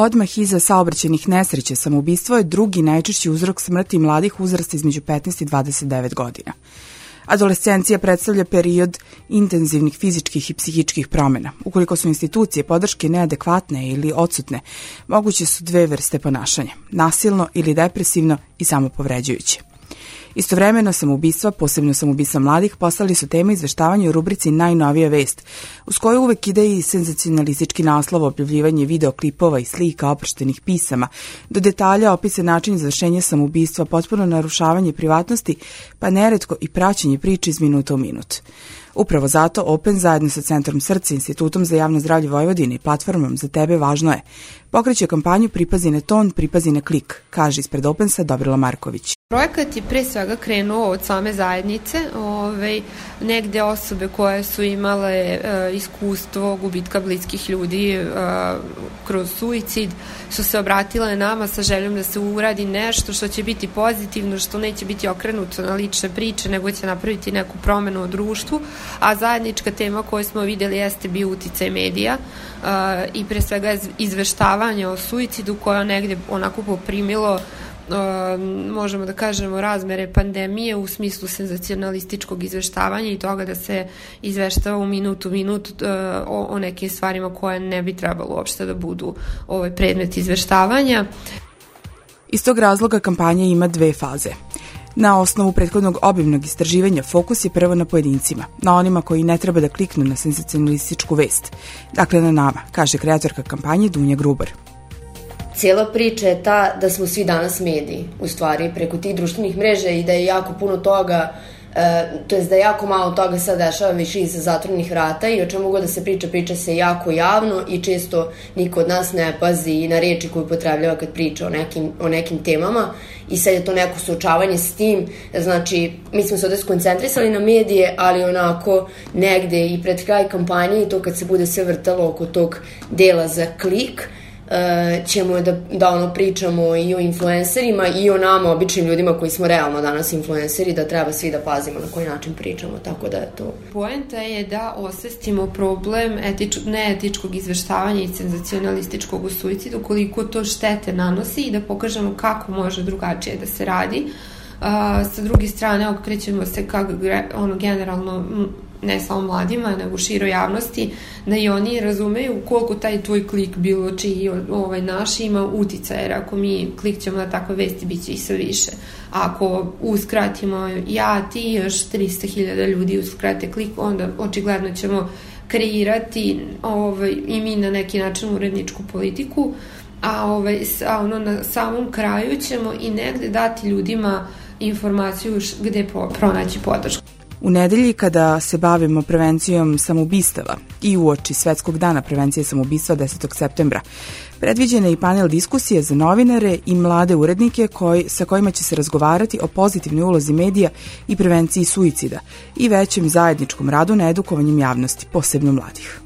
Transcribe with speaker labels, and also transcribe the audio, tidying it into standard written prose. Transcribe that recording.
Speaker 1: Odmah iza saobraćajnih nesreća samoubistvo je drugi najčešći uzrok smrti mladih uzrasta između 15 i 29 godina. Adolescencija predstavlja period intenzivnih fizičkih i psihičkih promjena. Ukoliko su institucije podrške neadekvatne ili odsutne, moguće su dve vrste ponašanja, nasilno ili depresivno i samopovređujuće. Istovremeno samoubistva, posebno samoubistva mladih, postali su tema izveštavanja u rubrici Najnovija vest, uz koju uvek ide i senzacionalistički naslov, objavljivanje videoklipova i slika, oproštenih pisama, do detalja opise način izvršenja samoubistva, potpuno narušavanje privatnosti, pa neretko i praćenje priče iz minuta u minut. Upravo zato Open zajedno sa Centrom Srce, Institutom za javno zdravlje Vojvodine i platformom Za tebe važno je pokreće kampanju Pripazi na ton, pripazi na klik, kaže ispred Opensa Dobrila Marković.
Speaker 2: Projekat je pre svega krenuo od same zajednice, negde osobe koje su imale iskustvo gubitka bliskih ljudi kroz suicid su se obratile nama sa željom da se uradi nešto što će biti pozitivno, što neće biti okrenuto na lične priče, nego će napraviti neku promenu u društvu, a zajednička tema koju smo videli jeste bio uticaj medija i pre svega izveštavanje o suicidu koje negde onako poprimilo možemo da kažemo razmere pandemije u smislu senzacionalističkog izveštavanja i toga da se izveštava u minut o nekim stvarima koje ne bi trebalo uopšte da budu predmet izveštavanja.
Speaker 1: Iz tog razloga kampanja ima dve faze. Na osnovu prethodnog obimnog istraživanja fokus je prvo na pojedincima, na onima koji ne treba da kliknu na senzacionalističku vest. Dakle, na nama, kaže kreatorka kampanje Dunja Grubar.
Speaker 3: Cijela priča je ta da smo svi danas mediji, u stvari, preko tih društvenih mreža i da je jako puno toga, to jest da je jako malo toga sad dešava više iza zatvorenih vrata i o čemu god da se priča se jako javno i često niko od nas ne pazi na reči koju upotrebljava kad priča o nekim temama i sad je to neko suočavanje s tim, znači mi smo se ovde skoncentrisali na medije, ali onako negde i pred kraj kampanje i to kad se bude sve vrtalo oko tog dela za klik, ćemo da pričamo i o influencerima i o nama, običnim ljudima koji smo realno danas influenceri, da treba svi da pazimo na koji način pričamo, tako da je to.
Speaker 2: Poenta je da osvestimo problem neetičkog izveštavanja i senzacionalističkog u suicidu, koliko to štete nanosi i da pokažemo kako može drugačije da se radi. Sa druge strane, okrećemo se kako generalno ne samo mladima, nego široj javnosti, da i oni razumeju koliko taj tvoj klik bilo čiji naš ima uticaja, jer ako mi klikćemo na takve vesti, bit će i sve više. Ako uskratimo ti još 300.000 ljudi uskrate klik, onda očigledno ćemo kreirati i mi na neki način uredničku politiku, a na samom kraju ćemo i negde dati ljudima informaciju gde pronaći podršku.
Speaker 1: U nedelji kada se bavimo prevencijom samoubistava i uoči Svetskog dana prevencije samoubistva 10. septembra, predviđen je i panel diskusije za novinare i mlade urednike sa kojima će se razgovarati o pozitivnoj ulozi medija i prevenciji suicida i većem zajedničkom radu na edukovanjem javnosti, posebno mladih.